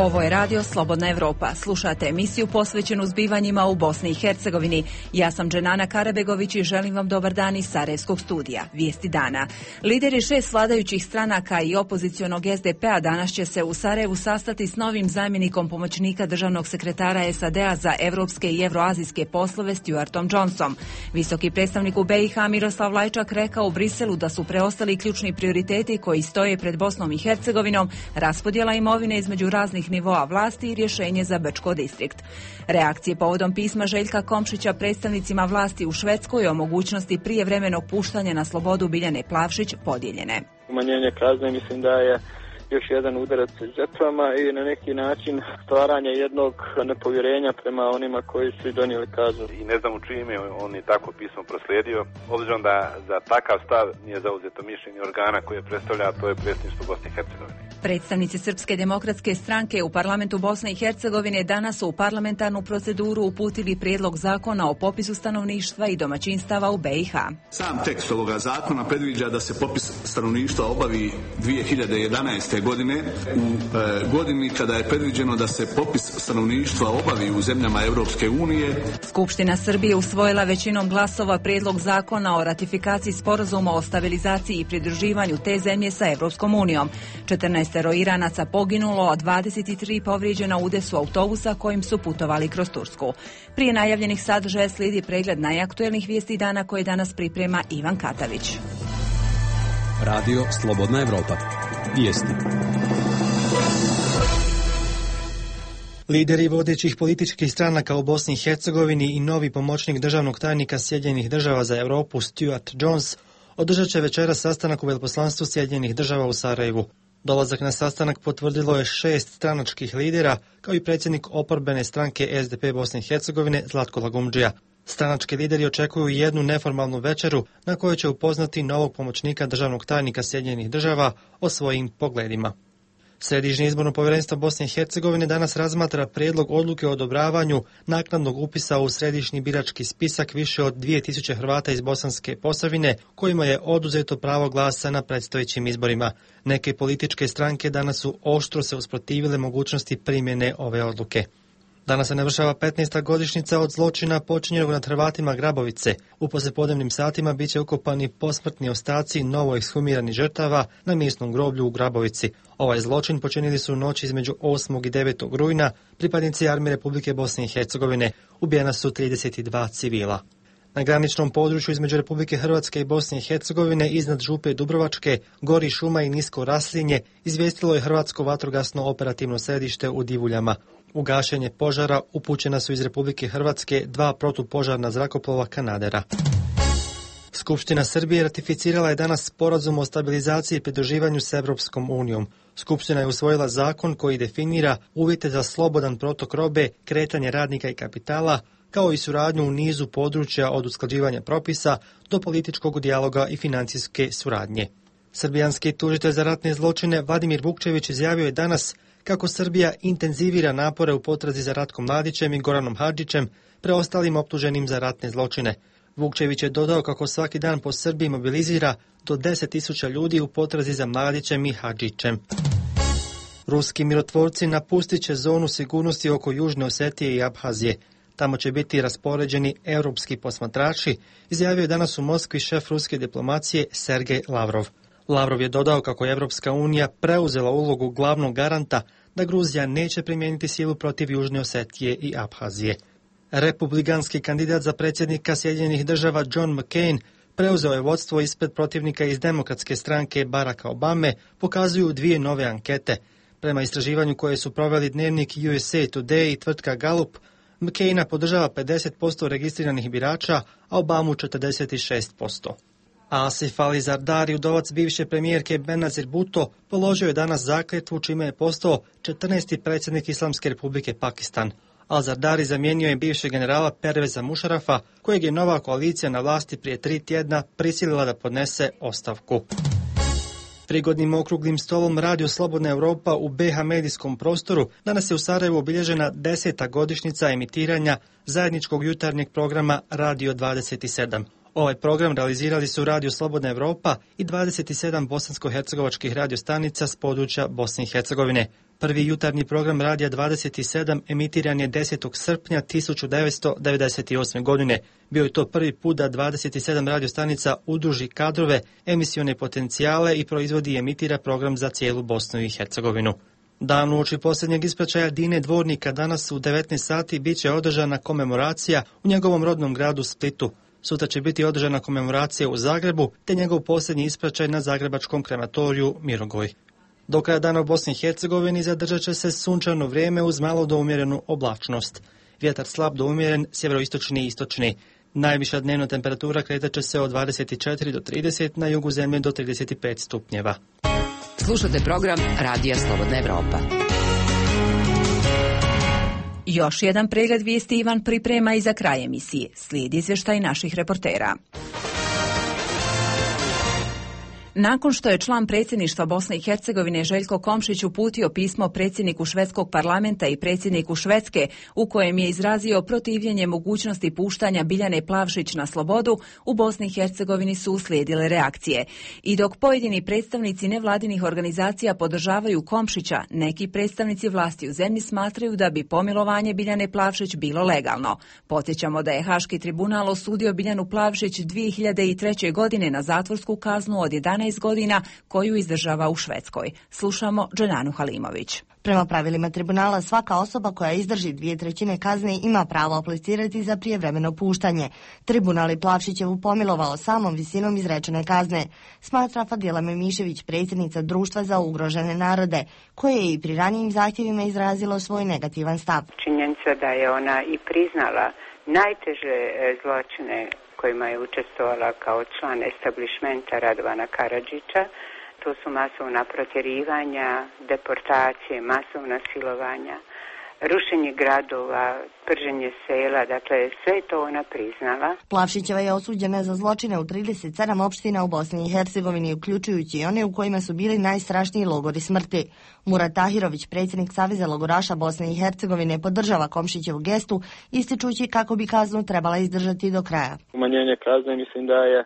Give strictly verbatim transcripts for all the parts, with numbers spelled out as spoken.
Ovo je radio Slobodna Evropa. Slušate emisiju posvećenu zbivanjima u Bosni i Hercegovini. Ja sam Dženana Karabegović i želim vam dobar dan iz Sarajevskog studija. Vijesti dana. Lideri šest vladajućih stranaka i opozicionog S D P-a danas će se u Sarajevu sastati s novim zamjenikom pomoćnika državnog sekretara S A D-a za evropske i evroazijske poslove Stuartom Johnsonom. Visoki predstavnik u B i H Miroslav Lajčak rekao u Briselu da su preostali ključni prioriteti koji stoje pred Bosnom i Hercegovinom raspodjela imovine između raznih nivoa vlasti i rješenje za Brčko distrikt. Reakcije povodom pisma Željka Komšića predstavnicima vlasti u Švedskoj o mogućnosti prijevremenog puštanja na slobodu Biljane Plavšić podijeljene. Umanjenje kazne mislim da je još jedan udarac žrtvama i na neki način stvaranje jednog nepovjerenja prema onima koji su donijeli kaznu. I ne znam u čije ime on je tako pismo proslijedio, obzirom da za takav stav nije zauzeto mišljenje organa koje predstavlja, a to je predsjedništvo Bosne i Hercegovine. Predstavnici Srpske demokratske stranke u parlamentu Bosne i Hercegovine danas su u parlamentarnu proceduru uputili prijedlog zakona o popisu stanovništva i domaćinstava u B i H. Sam tekst ovoga zakona predviđa da se popis stanovništva obavi dvije hiljade jedanaeste. godine u e, godini kada je predviđeno da se popis stanovništva obavi u zemljama Europske unije. Skupština Srbije usvojila većinom glasova prijedlog zakona o ratifikaciji sporazuma o stabilizaciji i pridruživanju te zemlje sa Europskom unijom. četrnaestero Iranaca poginulo, a dvadeset tri povrijeđena u udesu autobusa kojim su putovali kroz Tursku. Prije najavljenih sadržaja slijedi pregled najaktuelnih vijesti dana koje danas priprema Ivan Katavić. Radio Slobodna Evropa. Vijesti. Lideri vodećih političkih stranaka u Bosni i Hercegovini i novi pomoćnik državnog tajnika Sjedinjenih država za Europu Stuart Jones održat će večeras sastanak u veleposlanstvu Sjedinjenih država u Sarajevu. Dolazak na sastanak potvrdilo je šest stranačkih lidera, kao i predsjednik oporbene stranke S D P Bosne i Hercegovine Zlatko Lagumdžija. Stranački lideri očekuju jednu neformalnu večeru na kojoj će upoznati novog pomoćnika državnog tajnika Sjedinjenih država o svojim pogledima. Središnje izborno povjerenstvo Bosne i Hercegovine danas razmatra prijedlog odluke o odobravanju naknadnog upisa u središnji birački spisak više od dvije tisuće Hrvata iz Bosanske Posavine kojima je oduzeto pravo glasa na predstojećim izborima. Neke političke stranke danas su oštro se usprotivile mogućnosti primjene ove odluke. Danas se navršava petnaesta godišnjica od zločina počinjenog nad Hrvatima Grabovice. U poslijepodnevnim satima bit će ukopani posmrtni ostaci novo ekshumiranih žrtava na mjesnom groblju u Grabovici. Ovaj zločin počinili su u noći između osmog i devetog rujna pripadnici Armije Republike Bosne i Hercegovine. Ubijena su trideset dva civila. Na graničnom području između Republike Hrvatske i Bosne i Hercegovine iznad Župe Dubrovačke gori šuma i nisko raslinje, izvijestilo je Hrvatsko vatrogasno operativno središte u Divuljama. U gašenje požara upućena su iz Republike Hrvatske dva protupožarna zrakoplova Kanadera. Skupština Srbije ratificirala je danas sporazum o stabilizaciji i pridruživanju s Europskom unijom. Skupština je usvojila zakon koji definira uvjete za slobodan protok robe, kretanje radnika i kapitala, kao i suradnju u nizu područja od usklađivanja propisa do političkog dijaloga i financijske suradnje. Srbijanski tužitelj za ratne zločine Vladimir Vukčević izjavio je danas kako Srbija intenzivira napore u potrazi za Ratkom Mladićem i Goranom Hadžićem, preostalim optuženim za ratne zločine. Vukčević je dodao kako svaki dan po Srbiji mobilizira do deset tisuća ljudi u potrazi za Mladićem i Hadžićem. Ruski mirotvorci napustit će zonu sigurnosti oko Južne Osetije i Abhazije. Tamo će biti raspoređeni europski posmatrači, izjavio je danas u Moskvi šef ruske diplomacije Sergej Lavrov. Lavrov je dodao kako je Evropska unija preuzela ulogu glavnog garanta da Gruzija neće primijeniti silu protiv Južne Osetije i Abhazije. Republikanski kandidat za predsjednika Sjedinjenih država John McCain preuzeo je vodstvo ispred protivnika iz demokratske stranke Baracka Obame, pokazuju dvije nove ankete. Prema istraživanju koje su proveli dnevnik U S A Today i tvrtka Gallup, McCaina podržava pedeset posto registriranih birača, a Obamu četrdeset šest posto. Asif Ali Zardari, udovac bivše premijerke Benazir Bhutto, položio je danas zakletvu čime je postao četrnaesti predsjednik Islamske Republike Pakistan. Al Zardari zamijenio je bivšeg generala Perveza Mušarafa, kojeg je nova koalicija na vlasti prije tri tjedna prisilila da podnese ostavku. Prigodnim okruglim stolom Radio Slobodna Evropa u B H medijskom prostoru danas je u Sarajevu obilježena deseta godišnjica emitiranja zajedničkog jutarnjeg programa Radio dvadeset sedam. Ovaj program realizirali su Radio Slobodna Evropa i dvadeset sedam bosansko-hercegovačkih radiostanica s područja Bosne i Hercegovine. Prvi jutarnji program Radija dvadeset sedam emitiran je desetog srpnja tisuću devetsto devedeset osme. godine. Bio je to prvi put da dvadeset sedam radiostanica udruži kadrove, emisione potencijale i proizvodi i emitira program za cijelu Bosnu i Hercegovinu. Dan uoči posljednjeg ispraćaja Dine Dvornika danas u devetnaest sati bit će održana komemoracija u njegovom rodnom gradu Splitu. Sutra će biti održana komemoracija u Zagrebu, te njegov posljednji ispraćaj na zagrebačkom krematoriju Mirogoj. Do kraja dana u Bosni i Hercegovini zadržat će se sunčano vrijeme uz malo do umjerenu oblačnost. Vjetar slab do umjeren, sjeveroistočni i istočni. Najviša dnevna temperatura kretat će se od dvadeset četiri do trideset, na jugu zemlje do trideset pet stupnjeva. Slušate program Radija Slobodna Evropa. Još jedan pregled vijesti Ivan priprema i za kraj emisije. Slijedi izvještaj naših reportera. Nakon što je član predsjedništva Bosne i Hercegovine Željko Komšić uputio pismo predsjedniku švedskog parlamenta i predsjedniku Švedske u kojem je izrazio protivljenje mogućnosti puštanja Biljane Plavšić na slobodu, u Bosni i Hercegovini su uslijedile reakcije. I dok pojedini predstavnici nevladinih organizacija podržavaju Komšića, neki predstavnici vlasti u zemlji smatraju da bi pomilovanje Biljane Plavšić bilo legalno. Podsjećamo da je Haški tribunal osudio Biljanu Plavšić dvije hiljade treće. godine na zatvorsku kaznu od jedanaest godina koju izdržava u Švedskoj. Slušamo Dženanu Halimović. Prema pravilima tribunala, svaka osoba koja izdrži dvije trećine kazne ima pravo aplicirati za prijevremeno puštanje. Tribunal je Plavšićevu pomilovao samom visinom izrečene kazne, smatra Fadila Memišević, predsjednica Društva za ugrožene narode, koje je i pri ranijim zahtjevima izrazilo svoj negativan stav. Činjenica da je ona i priznala najteže zločine kojima je učestvovala kao član establishmenta Radovana Karadžića. To su masovna protjerivanja, deportacije, masovna silovanja, rušenje gradova, prženje sela, dakle sve to ona priznala. Plavšićeva je osuđena za zločine u trideset sedam opština u Bosni i Hercegovini, uključujući i one u kojima su bili najstrašniji logori smrti. Murat Tahirović, predsjednik Saveza logoraša Bosne i Hercegovine, podržava Komšićevu gestu, ističući kako bi kaznu trebala izdržati do kraja. Umanjenje kazne mislim da je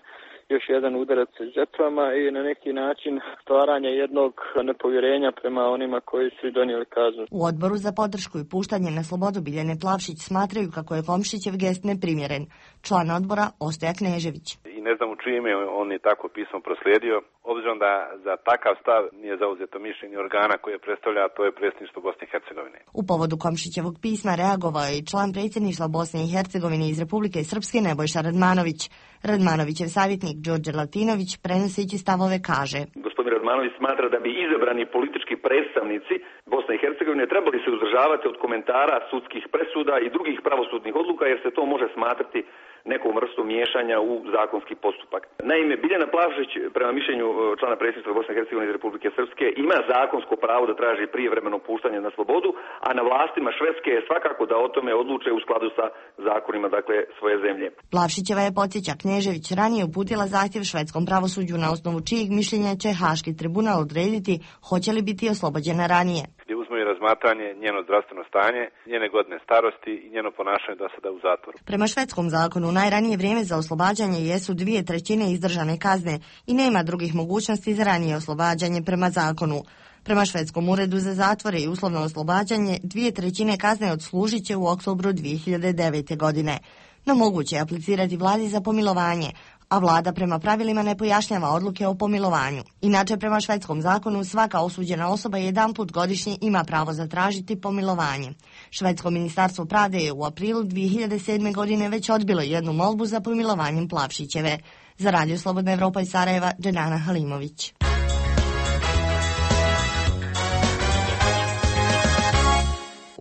još jedan udarac žrtvama i na neki način stvaranje jednog nepovjerenja prema onima koji su donijeli kaznu. U odboru za podršku i puštanje na slobodu Biljane Plavšić smatraju kako je Komšićev gest neprimjeren. Član odbora Ostoja Knežević. I ne znam u čije ime on je tako pismo proslijedio, obzirom da za takav stav nije zauzeto mišljenje organa koje predstavlja, to je predsjedništvo Bosne i Hercegovine. U povodu Komšićevog pisma reagovao je i član predsjedništva Bosne i Hercegovine iz Republike Srpske Nebojša Radmanović. Radmanovićev savjetnik Đorđe Latinović, prenoseći stavove, kaže: Gospodin Radmanović smatra da bi izabrani politički predstavnici Bosne i Hercegovine trebali se uzdržavati od komentara sudskih presuda i drugih pravosudnih odluka, jer se to može smatrati nekom vrstom miješanja u zakonski postupak. Naime, Biljana Plavšić, prema mišljenju člana predsjedništva Bosne i Hercegovine iz Republike Srpske, ima zakonsko pravo da traži prijevremeno puštanje na slobodu, a na vlastima Švedske je svakako da o tome odluče u skladu sa zakonima, dakle, svoje zemlje. Plavšićeva je, podsjeća Knežević, ranije uputila zahtjev švedskom pravosuđu na osnovu čijeg mišljenja će Haški tribunal odrediti hoće li biti oslobođena ranije. Gdje uzme i razmatranje njeno zdravstveno stanje, njene godine starosti i njeno ponašanje do sada u zatvoru. Prema švedskom zakonu najranije vrijeme za oslobađanje jesu dvije trećine izdržane kazne i nema drugih mogućnosti za ranije oslobađanje prema zakonu. Prema švedskom uredu za zatvore i uslovno oslobađanje, dvije trećine kazne odslužit će u oktobru dvije hiljade devete. godine. No moguće je aplicirati vladi za pomilovanje, a vlada prema pravilima ne pojašnjava odluke o pomilovanju. Inače, prema švedskom zakonu, svaka osuđena osoba jedanput godišnje ima pravo zatražiti pomilovanje. Švedsko ministarstvo pravde je u aprilu dvije hiljade sedme. godine već odbilo jednu molbu za pomilovanjem Plavšićeve. Za Radio Slobodna Evropa iz Sarajeva, Dženana Halimović.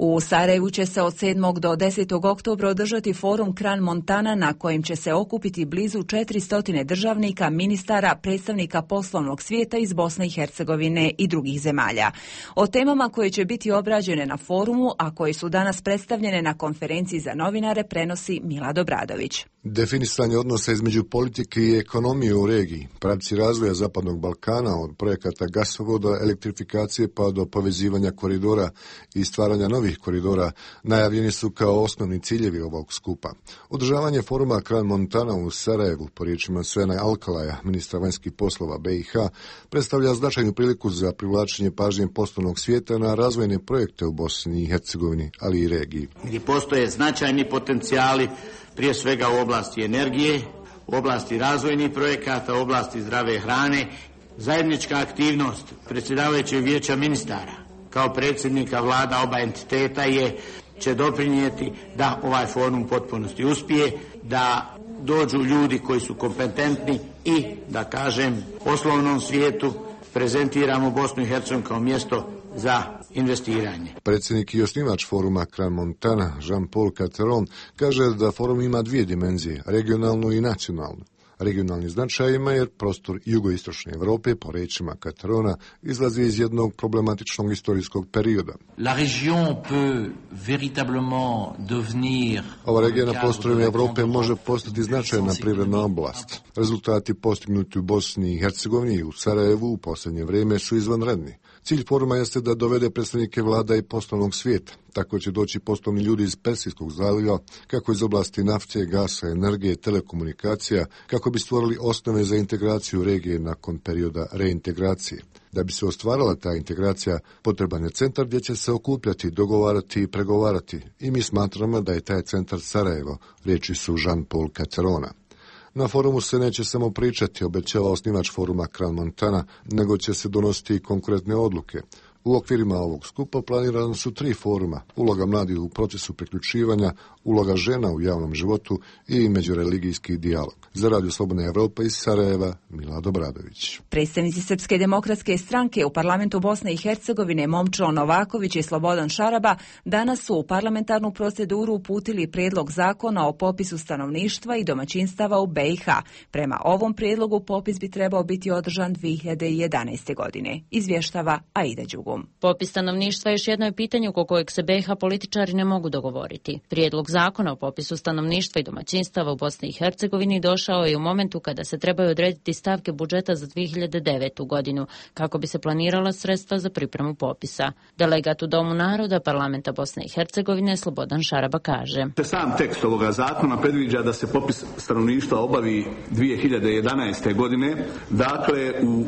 U Sarajevu će se od sedmog do desetog oktobra održati forum Kran Montana na kojem će se okupiti blizu četiristo državnika, ministara, predstavnika poslovnog svijeta iz Bosne i Hercegovine i drugih zemalja. O temama koje će biti obrađene na forumu, a koje su danas predstavljene na konferenciji za novinare, prenosi Milad Obradović. Definisanje odnosa između politike i ekonomije u regiji, pravci razvoja Zapadnog Balkana od projekata gasovoda, elektrifikacije pa do povezivanja koridora i stvaranja novih novih koridora najavljeni su kao osnovni ciljevi ovog skupa. Održavanje foruma Kran Montana u Sarajevu, po riječima Svena Alkalaja, ministra vanjskih poslova B i H, predstavlja značajnu priliku za privlačenje pažnje poslovnog svijeta na razvojne projekte u Bosni i Hercegovini, ali i regiji. Gdje postoje značajni potencijali, prije svega u oblasti energije, u oblasti razvojnih projekata, u oblasti zdrave hrane. Zajednička aktivnost predsjedavajućeg vijeća ministara kao predsjednika vlada oba entiteta je, će doprinijeti da ovaj forum u potpunosti uspije, da dođu ljudi koji su kompetentni i, da kažem, poslovnom svijetu prezentiramo Bosnu i Hercegovinu kao mjesto za investiranje. Predsjednik i osnivač foruma Kran Montana, Jean-Paul Catteron, kaže da forum ima dvije dimenzije, regionalnu i nacionalnu. Regionalni značaj ima jer prostor jugoistočne Europe, po rečima Catterona, izlazi iz jednog problematičnog istorijskog perioda. La région peut véritablement devenir... Ova regija na prostoru Europe može postati značajna privredna oblast. Rezultati postignuti u Bosni i Hercegovini i u Sarajevu u posljednje vrijeme su izvanredni. Cilj foruma jeste da dovede predstavnike vlada i poslovnog svijeta. Tako će doći poslovni ljudi iz Persijskog zaliva, kako iz oblasti nafte, gasa, energije, telekomunikacija, kako bi stvorili osnove za integraciju regije nakon perioda reintegracije. Da bi se ostvarila ta integracija, potreban je centar gdje će se okupljati, dogovarati i pregovarati. I mi smatramo da je taj centar Sarajevo, riječi su Jean-Paul Catterona. Na forumu se neće samo pričati, obećava osnivač foruma Kran Montana, nego će se donositi i konkretne odluke. U okvirima ovog skupa planirane su tri foruma: uloga mladih u procesu priključivanja, uloga žena u javnom životu i međureligijski dijalog. Za Radio Slobodna Evropa iz Sarajeva, Milad Obradović. Predstavnici Srpske demokratske stranke u parlamentu Bosne i Hercegovine Momčilo Novaković i Slobodan Šaraba danas su u parlamentarnu proceduru uputili prijedlog zakona o popisu stanovništva i domaćinstava u B i H. Prema ovom prijedlogu popis bi trebao biti održan dvije hiljade jedanaeste. godine. Izvještava Aida Đugum. Popis stanovništva još jedno je pitanje oko kojeg se B i H političari ne mogu dogovoriti. Prijedlog zakona o popisu stanovništva i domaćinstava u Bosni i Hercegovini došao je u momentu kada se trebaju odrediti stavke budžeta za dvije hiljade devetu. godinu, kako bi se planirala sredstva za pripremu popisa. Delegat u Domu naroda parlamenta Bosne i Hercegovine Slobodan Šaraba kaže: Sam tekst ovoga zakona predviđa da se popis stanovništva obavi dvije hiljade jedanaeste. godine, dakle u e,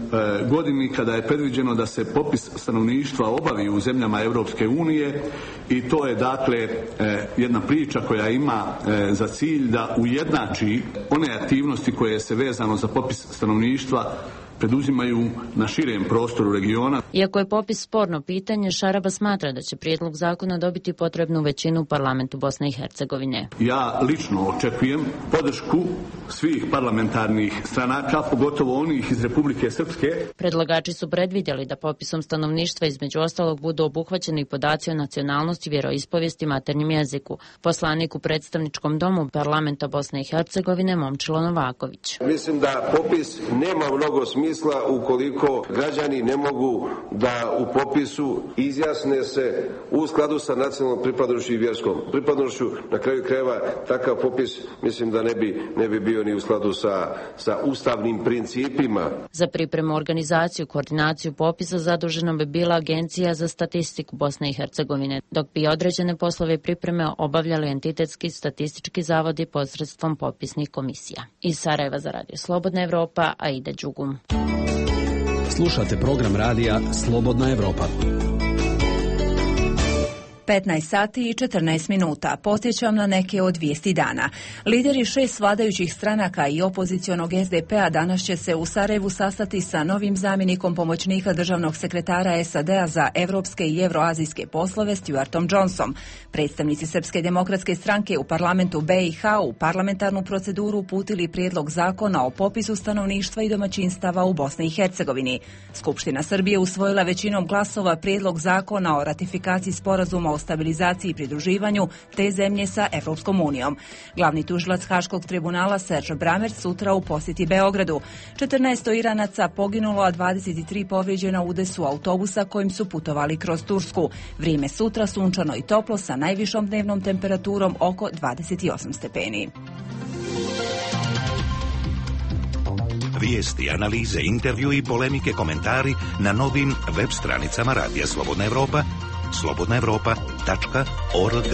godini kada je predviđeno da se popis stanovništva obavi u zemljama Europske unije, i to je dakle e, jedna priča koja ima e, za cilj da ujednači one aktivnosti koje se vezano za popis stanovništva preduzimaju na širem prostoru regiona. Iako je popis sporno pitanje, Šaraba smatra da će prijedlog zakona dobiti potrebnu većinu u parlamentu Bosne i Hercegovine. Ja lično očekujem podršku svih parlamentarnih stranaka, pogotovo onih iz Republike Srpske. Predlagači su predvidjeli da popisom stanovništva između ostalog budu obuhvaćeni podaci o nacionalnosti, vjeroispovijesti, maternjem jeziku. Poslanik u predstavničkom domu parlamenta Bosne i Hercegovine Momčilo Novaković. Mislim da popis nema mnogo smisla ukoliko građani ne mogu da u popisu izjasne se u skladu sa nacionalnom pripadnošću i vjerskom pripadnošću. Na kraju krajeva takav popis mislim da ne bi, ne bi bio ni u skladu sa, sa ustavnim principima. Za pripremu, organizaciju, koordinaciju popisa zadužena bi bila Agencija za statistiku Bosne i Hercegovine, dok bi određene poslove pripreme obavljali entitetski statistički zavodi posredstvom popisnih komisija. Iz Sarajeva za Radio Slobodna Evropa, Aida Đugum. Slušate program radija Slobodna Evropa. petnaest sati i četrnaest minuta. Podsjećam na neke od vijesti dana. Lideri šest vladajućih stranaka i opozicionog S D P-a danas će se u Sarajevu sastati sa novim zamjenikom pomoćnika državnog sekretara S A D-a za evropske i evroazijske poslove Stuartom Johnsonom. Predstavnici Srpske demokratske stranke u parlamentu B i H u parlamentarnu proceduru uputili prijedlog zakona o popisu stanovništva i domaćinstava u Bosni i Hercegovini. Skupština Srbije usvojila većinom glasova prijedlog zakona o ratifikaciji sporazuma o stabilizaciji i pridruživanju te zemlje sa Evropskom unijom. Glavni tužilac Haškog tribunala Serge Brammertz sutra u posjeti Beogradu. četrnaest Iranaca poginulo, a dvadeset tri povrijeđena u udesu autobusa kojim su putovali kroz Tursku. Vrijeme sutra sunčano i toplo sa najvišom dnevnom temperaturom oko dvadeset osam stepeni. Vijesti, analize, intervju i polemike, komentari na novim web stranicama Radija Slobodna Evropa slobodna evropa tačka org.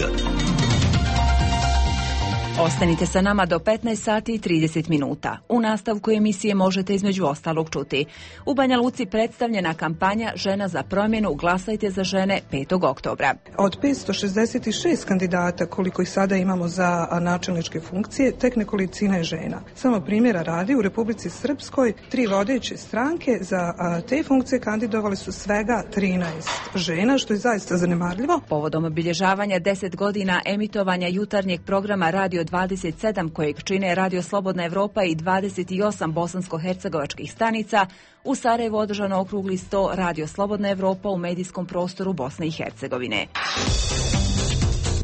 Ostanite sa nama do petnaest sati i trideset minuta. U nastavku emisije možete između ostalog čuti. U Banja Luci predstavljena kampanja Žena za promjenu, glasajte za žene petog oktobra. Od petsto šezdeset šest kandidata koliko ih sada imamo za načelničke funkcije, tek nekolicina je žena. Samo primjera radi, u Republici Srpskoj tri vodeće stranke za te funkcije kandidovali su svega trinaest žena, što je zaista zanemarljivo. Povodom obilježavanja deset godina emitovanja jutarnjeg programa Radio dvadeset sedam kojeg čine Radio Slobodna Evropa i dvadeset osam bosansko-hercegovačkih stanica, u Sarajevu održano okrugli sto Radio Slobodna Evropa u medijskom prostoru Bosne i Hercegovine.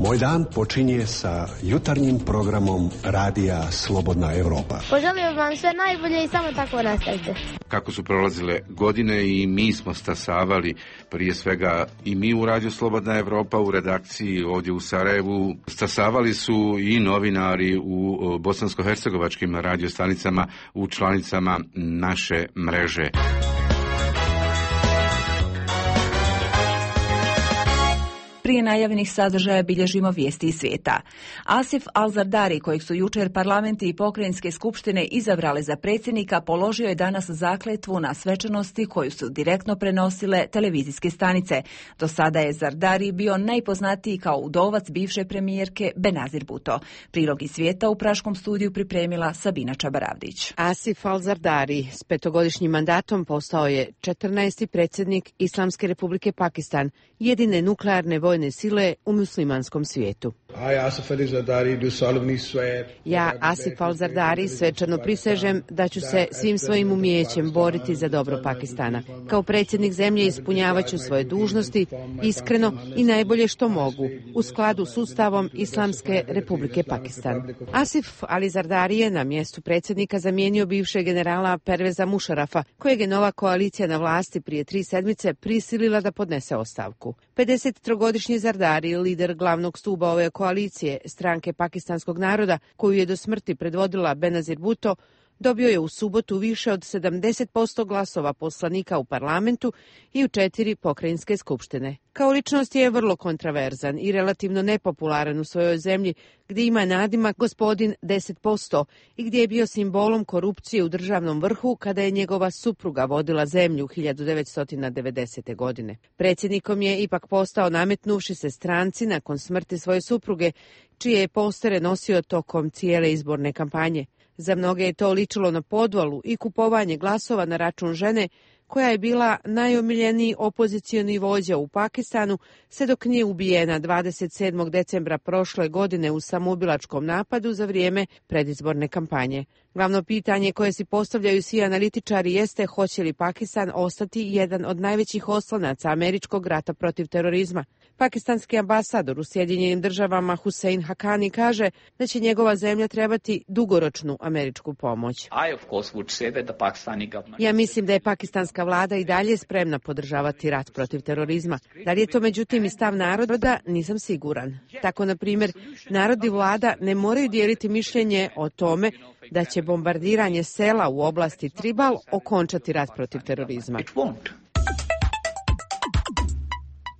Moj dan počinje sa jutarnjim programom Radija Slobodna Evropa. Poželim vam sve najbolje i samo tako nastavite. Kako su prolazile godine i mi smo stasavali, prije svega i mi u Radiju Slobodna Evropa u redakciji ovdje u Sarajevu, stasavali su i novinari u bosansko-hercegovačkim radiostanicama u članicama naše mreže. Prije najavljenih sadržaja bilježimo vijesti iz svijeta. Asif Al-Zardari, kojeg su jučer parlamenti i pokrajinske skupštine izabrale za predsjednika, položio je danas zakletvu na svečanosti koju su direktno prenosile televizijske stanice. Do sada je Zardari bio najpoznatiji kao udovac bivše premijerke Benazir Bhutto. Prilog iz svijeta u praškom studiju pripremila Sabina Čabaravdić. Asif Al-Zardari s petogodišnjim mandatom postao je četrnaesti predsjednik Islamske republike Pakistan, jedine nuklearne vojne sile u muslimanskom svijetu. Ja, Asif Al-Zardari, svečano prisežem da ću se svim svojim umijećem boriti za dobro Pakistana. Kao predsjednik zemlje ispunjavat ću svoje dužnosti iskreno i najbolje što mogu, u skladu s Ustavom Islamske republike Pakistan. Asif Al-Zardari je na mjestu predsjednika zamijenio bivšeg generala Perveza Mušarafa, kojeg je nova koalicija na vlasti prije tri sedmice prisilila da podnese ostavku. pedesettrogodišnji Zardari, lider glavnog stuba ove koalicije, stranke pakistanskog naroda, koju je do smrti predvodila Benazir Bhutto, dobio je u subotu više od sedamdeset posto glasova poslanika u parlamentu i u četiri pokrajinske skupštine. Kao ličnost je vrlo kontraverzan i relativno nepopularan u svojoj zemlji, gdje ima nadimak gospodin deset posto i gdje je bio simbolom korupcije u državnom vrhu kada je njegova supruga vodila zemlju hiljadu devetsto devedesete. godine. Predsjednikom je ipak postao nametnuvši se stranci nakon smrti svoje supruge, čije je postere nosio tokom cijele izborne kampanje. Za mnoge je to ličilo na podvalu i kupovanje glasova na račun žene, koja je bila najomiljeniji opozicioni vođa u Pakistanu, sve dok nije ubijena dvadeset sedmog decembra prošle godine u samoubilačkom napadu za vrijeme predizborne kampanje. Glavno pitanje koje si postavljaju svi analitičari jeste hoće li Pakistan ostati jedan od najvećih oslonaca američkog rata protiv terorizma. Pakistanski ambasador u Sjedinjenim državama Hussein Haqqani kaže da će njegova zemlja trebati dugoročnu američku pomoć. Ja mislim da je pakistanska vlada i dalje spremna podržavati rat protiv terorizma. Da li je to međutim i stav naroda, nisam siguran. Tako, na primjer, narod i vlada ne moraju dijeliti mišljenje o tome da će bombardiranje sela u oblasti Tribal okončati rat protiv terorizma.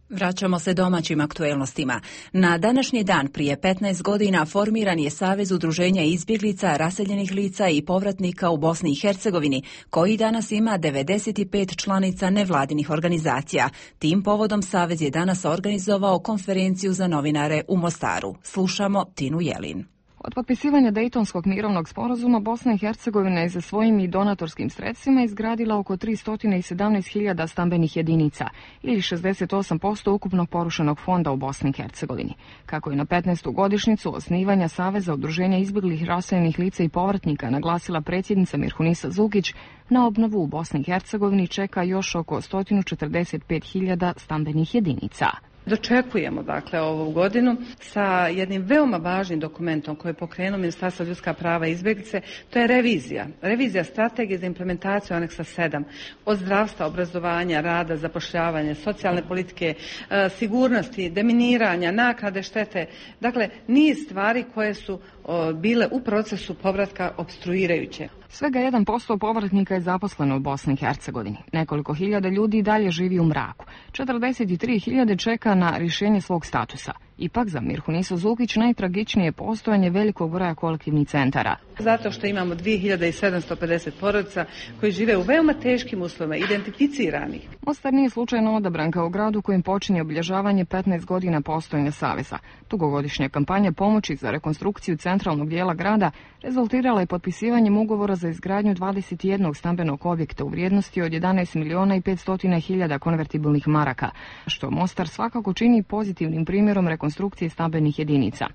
Vraćamo se domaćim aktuelnostima. Na današnji dan prije petnaest godina formiran je Savez udruženja izbjeglica, raseljenih lica i povratnika u Bosni i Hercegovini, koji danas ima devedeset pet članica nevladinih organizacija. Tim povodom Savez je danas organizovao konferenciju za novinare u Mostaru. Slušamo Tinu Jelin. Od potpisivanja Dejtonskog mirovnog sporazuma Bosna i Hercegovina je za svojim i donatorskim sredstvima izgradila oko tristo sedamnaest hiljada stambenih jedinica ili šezdeset osam posto ukupnog porušenog fonda u Bosni i Hercegovini. Kako je na petnaestu godišnjicu osnivanja Saveza udruženja izbjeglih, raseljenih lica i povratnika naglasila predsjednica Mirhunisa Zukić, na obnovu u Bosni i Hercegovini čeka još oko sto četrdeset pet hiljada stambenih jedinica. Dočekujemo dakle ovu godinu sa jednim veoma važnim dokumentom koji je pokrenuo Ministarstvo ljudska prava i izbjeglice, to je revizija. Revizija strategije za implementaciju aneksa sedam od zdravstva, obrazovanja, rada, zapošljavanja, socijalne politike, sigurnosti, deminiranja, naknade štete. Dakle, niz stvari koje su bile u procesu povratka opstruirajuće. Svega jedan posto povratnika je zaposleno u Bosni i Hercegovini. Nekoliko hiljada ljudi dalje živi u mraku. četrdeset tri hiljade čeka na rješenje svog statusa. Ipak za Mirhunisu Zukić najtragičnije je postojanje velikog broja kolektivnih centara. Zato što imamo dvije hiljade sedamsto pedeset porodica koji žive u veoma teškim uslovima, identificiranih. Mostar nije slučajno odabran kao grad u kojem počinje obilježavanje petnaest godina postojanja Saveza. Dugogodišnja kampanja pomoći za rekonstrukciju centralnog dijela grada rezultirala je potpisivanjem ugovora za izgradnju dvadeset jednog stambenog objekta u vrijednosti od jedanaest miliona i petsto hiljada konvertibilnih maraka, što Mostar svakako čini pozitivnim primjerom rekonstrukcije stambenih jedinica.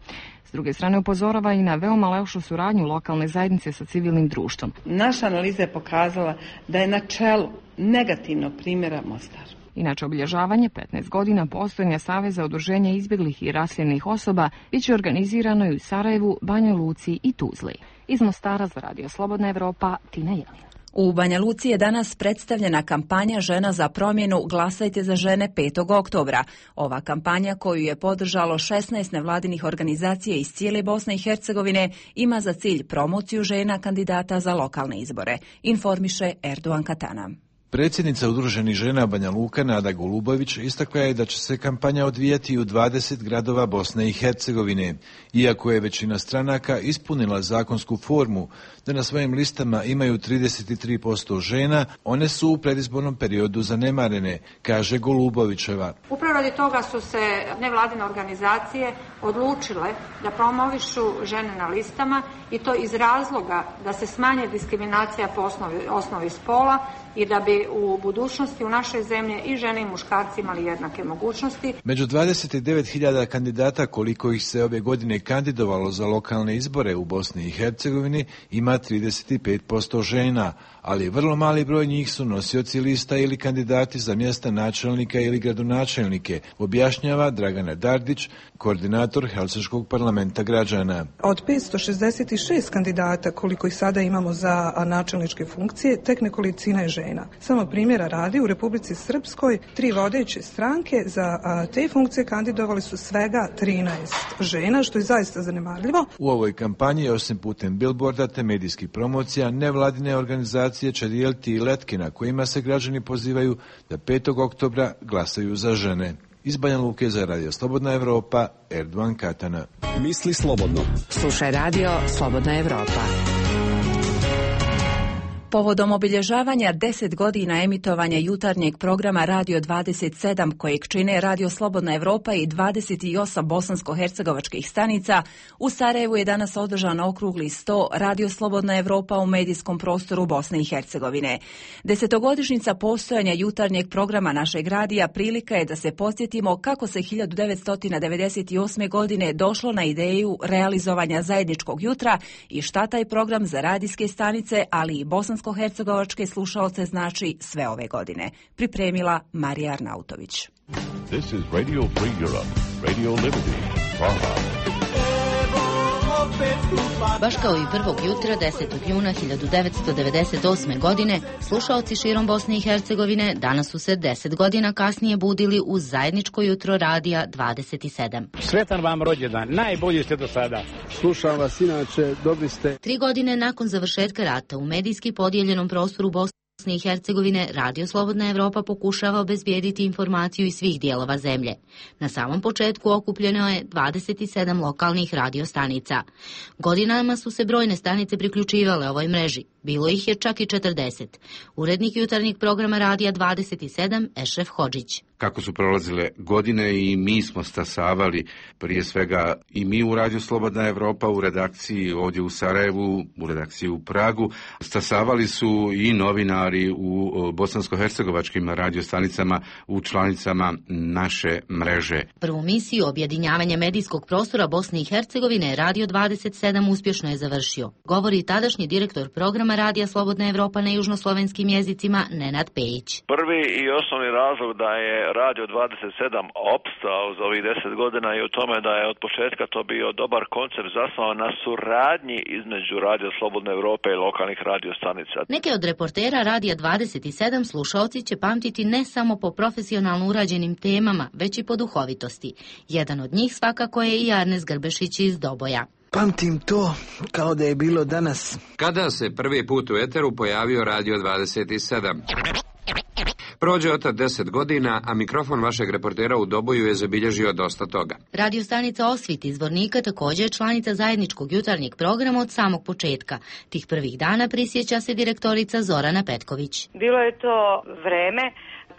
S druge strane upozorava i na veoma lošu suradnju lokalne zajednice sa civilnim društvom. Naša analiza je pokazala da je na čelu negativnog primjera Mostar. Inače, obilježavanje petnaest godina postojanja Saveza udruženja izbjeglih i raseljenih osoba bit će organizirano i u Sarajevu, Banja Luci i Tuzli. Iz Mostara za Radio Slobodna Evropa, Tina Jelin. U Banja Luci je danas predstavljena kampanja Žena za promjenu Glasajte za žene petog oktobra. Ova kampanja, koju je podržalo šesnaest nevladinih organizacija iz cijele Bosne i Hercegovine, ima za cilj promociju žena kandidata za lokalne izbore, informiše Erdogan Katana. Predsjednica Udruženih žena Banja Luka Nada Golubović istakla je da će se kampanja odvijati u dvadeset gradova Bosne i Hercegovine. Iako je većina stranaka ispunila zakonsku formu da na svojim listama imaju trideset tri posto žena, one su u predizbornom periodu zanemarene, kaže Golubovićeva. Upravo radi toga su se nevladine organizacije odlučile da promovišu žene na listama i to iz razloga da se smanje diskriminacija po osnovi, osnovi spola i da bi u budućnosti u našoj zemlji i žene i muškarci imali jednake mogućnosti. Među dvadeset devet hiljada kandidata koliko ih se ove godine kandidovalo za lokalne izbore u Bosni i Hercegovini ima trideset pet posto žena, ali vrlo mali broj njih su nosioci lista ili kandidati za mjesta načelnika ili gradonačelnike, objašnjava Dragana Dardić, koordinator Helsinškog parlamenta građana. Od petsto šezdeset šest kandidata koliko ih sada imamo za načelničke funkcije, tek nekolicina je žena. Samo primjera radi, u Republici Srpskoj tri vodeće stranke za te funkcije kandidovali su svega trinaest žena, što je zaista zanemarljivo. U ovoj kampanji, osim putem bilborda te medijskih promocija, nevladine organizacije će dijeliti i letke na kojima se građani pozivaju da petog oktobra glasaju za žene. Iz Banja Luke za Radio Slobodna Evropa, Erdogan Katana. Misli slobodno. Slušaj Radio Slobodna Evropa. Povodom obilježavanja deset godina emitovanja jutarnjeg programa Radio dvadeset sedam, kojeg čine Radio Slobodna Evropa i dvadeset osam bosansko-hercegovačkih stanica, u Sarajevu je danas održan okrugli sto Radio Slobodna Evropa u medijskom prostoru Bosne i Hercegovine. Desetogodišnjica postojanja jutarnjeg programa našeg radija prilika je da se podsjetimo kako se hiljadu devetsto devedeset osme. godine došlo na ideju realizovanja zajedničkog jutra i šta taj program za radijske stanice, ali i bosansko hercegovačke slušaoce znači sve ove godine. Pripremila Marija Arnautović. This is Radio Free Europe, Radio Liberty, Praha. Baš kao i prvog jutra desetog juna hiljadu devetsto devedeset osme. godine, slušaoci širom Bosne i Hercegovine danas su se deset godina kasnije budili uz zajedničko jutro radija dvadeset sedam. Sretan vam rođendan, najbolji ste do sada. Slušam vas inače, dobri ste. Tri godine nakon završetka rata u medijski podijeljenom prostoru Bosne i Hercegovine, Radio Slobodna Evropa pokušava obezbijediti informaciju iz svih dijelova zemlje. Na samom početku okupljeno je dvadeset sedam lokalnih radiostanica. Godinama su se brojne stanice priključivale ovoj mreži. Bilo ih je čak i četrdeset. Urednik jutarnjeg programa Radija dvadeset sedam, Ešref Hodžić. Kako su prolazile godine i mi smo stasavali, prije svega i mi u Radio Slobodna Evropa u redakciji ovdje u Sarajevu, u redakciji u Pragu, stasavali su i novinari u bosansko-hercegovačkim radiostanicama u članicama naše mreže. Prvu misiju objedinjavanja medijskog prostora Bosne i Hercegovine Radio dvadeset sedam uspješno je završio. Govori tadašnji direktor programa Radija Slobodna Evropa na južnoslovenskim jezicima Nenad Pejić. Prvi i osnovni razlog da je Radio dvadeset sedam opstao za ovih deset godina i u tome da je od početka to bio dobar koncept zasnovan na suradnji između Radio Slobodne Evrope i lokalnih radiostanica. Neke od reportera Radija dvadeset sedam slušaoci će pamtiti ne samo po profesionalno urađenim temama, već i po duhovitosti. Jedan od njih svakako je i Arnes Grbešić iz Doboja. Pamtim to kao da je bilo danas. Kada se prvi put u eteru pojavio Radio dvadeset sedam. Prođe od tad deset godina, a mikrofon vašeg reportera u Doboju je zabilježio dosta toga. Radio stanica Osvit iz Zvornika također je članica zajedničkog jutarnjeg programa od samog početka. Tih prvih dana prisjeća se direktorica Zorana Petković. Bilo je to vreme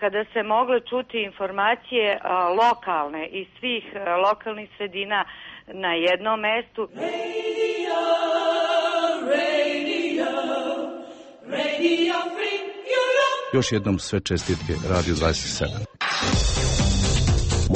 kada se mogle čuti informacije a, lokalne iz svih a, lokalnih sredina na jednom mestu. Radio, radio, radio free Europe. Još jednom sve čestitke Radio dvadeset sedam.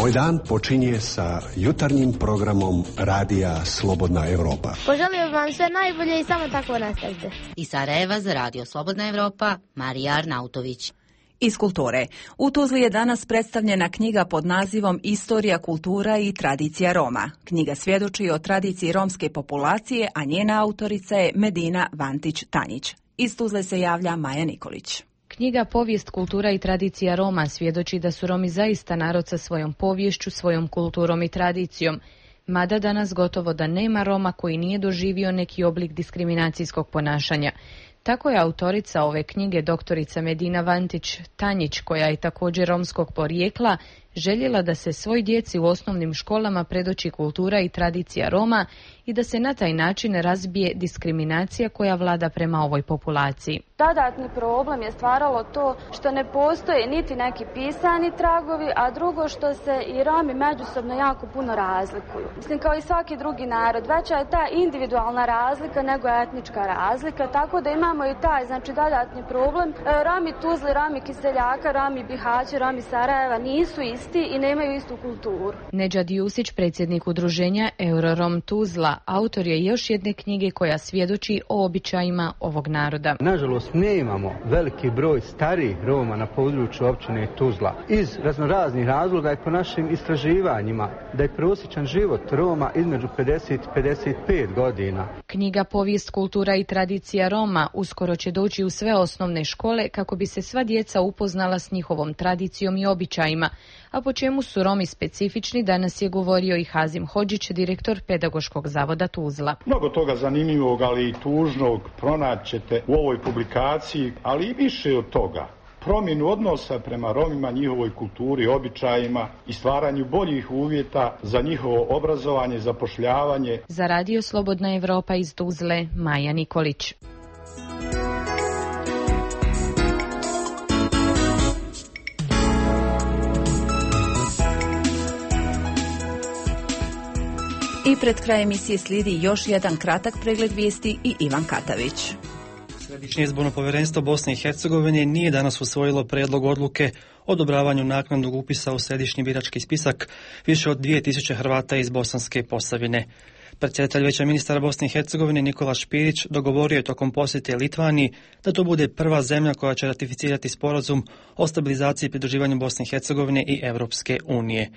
Moj dan počinje sa jutarnjim programom Radija Slobodna Evropa. Poželim vam sve najbolje i samo tako nastavite. Iz Sarajeva za Radio Slobodna Evropa, Marija Arnautović. Iz kulture. U Tuzli je danas predstavljena knjiga pod nazivom Istorija, kultura i tradicija Roma. Knjiga svjedoči o tradiciji romske populacije, a njena autorica je Medina Vantić-Tanjić. Iz Tuzle se javlja Maja Nikolić. Knjiga Povijest, kultura i tradicija Roma svjedoči da su Romi zaista narod sa svojom poviješću, svojom kulturom i tradicijom. Mada danas gotovo da nema Roma koji nije doživio neki oblik diskriminacijskog ponašanja. Tako je autorica ove knjige, doktorica Medina Vantić-Tanjić, koja je također romskog porijekla, željela da se svoj djeci u osnovnim školama predoči kultura i tradicija Roma i da se na taj način razbije diskriminacija koja vlada prema ovoj populaciji. Dodatni problem je stvaralo to što ne postoje niti neki pisani tragovi, a drugo što se i Romi međusobno jako puno razlikuju. Mislim, kao i svaki drugi narod, veća je ta individualna razlika nego etnička razlika, tako da imamo i taj, znači, dodatni problem. Romi Tuzli, Romi Kiseljaka, Romi Bihaća, Romi Sarajeva nisu isti i nemaju istu kulturu. Nedžad Jusić, predsjednik udruženja Eurorom Tuzla, autor je još jedne knjige koja svjedoči o običajima ovog naroda. Nažalost, ne imamo veliki broj starijih Roma na području općine Tuzla. Iz raznoraznih razloga i po našim istraživanjima da je prosječan život Roma između pedeset i pedeset pet godina. Knjiga Povijest, kultura i tradicija Roma uskoro će doći u sve osnovne škole kako bi se sva djeca upoznala s njihovom tradicijom i običajima. A po čemu su Romi specifični, danas je govorio i Hazim Hodžić, direktor Pedagoškog zavoda Tuzla. Mnogo toga zanimljivog, ali i tužnog pronaćete u ovoj publikaciji, ali i više od toga. Promjenu odnosa prema Romima, njihovoj kulturi, običajima i stvaranju boljih uvjeta za njihovo obrazovanje, zapošljavanje. Za Radio Slobodna Evropa iz Tuzle, Maja Nikolić. I pred kraj emisije slijedi još jedan kratak pregled vijesti i Ivan Katavić. Središnje izborno povjerenstvo Bosne i Hercegovine nije danas usvojilo prijedlog odluke o odobravanju naknadnog upisa u središnji birački spisak više od dvije tisuće Hrvata iz Bosanske Posavine. Predsjedatelj Vijeća ministara Bosne i Hercegovine Nikola Špirić dogovorio je tokom posjete Litvaniji da to bude prva zemlja koja će ratificirati sporazum o stabilizaciji i pridruživanju Bosne i Hercegovine i Europske unije.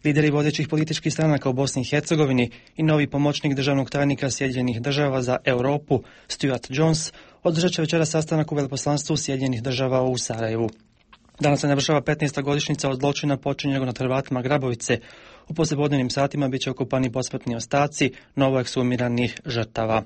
Lideri vodećih političkih stranaka u Bosni i Hercegovini i novi pomoćnik državnog tajnika Sjedinjenih država za Europu Stuart Jones održat će večera sastanak u veleposlanstvu Sjedinjenih država u Sarajevu. Danas se navršava petnaesta godišnjica od zločina počinjenog nad Hrvatima Grabovice. U poslijepodnevnim satima bit će okupani posmrtni ostaci novoekshumiranih žrtava.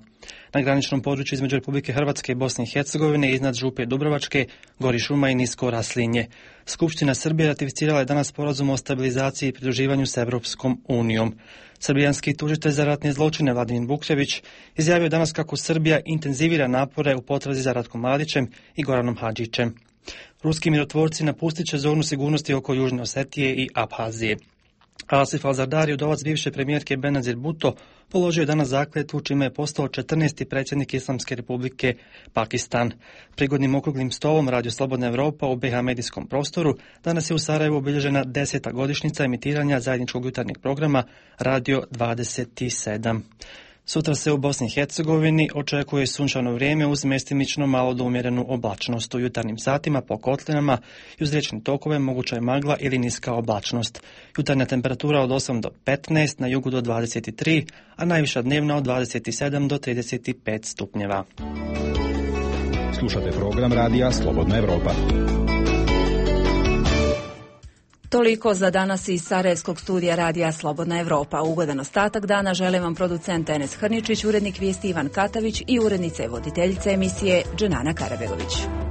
Na graničnom području između Republike Hrvatske i Bosne i Hercegovine iznad Župe Dubrovačke gori šuma i nisko raslinje. Skupština Srbije ratificirala je danas sporazum o stabilizaciji i pridruživanju s Europskom unijom. Srbijanski tužitelj za ratne zločine Vladimir Vukčević izjavio danas kako Srbija intenzivira napore u potrazi za Ratkom Mladićem i Goranom Hadžićem. Ruski mirotvorci napustit će zonu sigurnosti oko Južne Osetije i Abhazije. Asif Al-Zardari, udovac bivše premijerke Benazir Bhutto, položio je danas zakletvu čime je postao četrnaesti predsjednik Islamske republike Pakistan. Prigodnim okruglim stolom Radio Slobodna Evropa u B H medijskom prostoru danas je u Sarajevu obilježena deseta godišnjica emitiranja zajedničkog jutarnjeg programa Radio dvadeset sedam. Sutra se u Bosni i Hercegovini očekuje sunčano vrijeme uz mjestimično malo do umjerenu oblačnost. U jutarnjim satima po kotlinama i uz riječne tokove moguća je magla ili niska oblačnost. Jutarnja temperatura od osam do petnaest, na jugu do dvadeset tri, a najviša dnevna od dvadeset sedam do trideset pet stupnjeva. Slušate program Radija Slobodna Evropa. Toliko za danas iz Sarajevskog studija Radija Slobodna Evropa. Ugodan ostatak dana želim vam producent Enes Hrničić, urednik vijesti Ivan Katavić i urednica i voditeljica emisije Dženana Karabegović.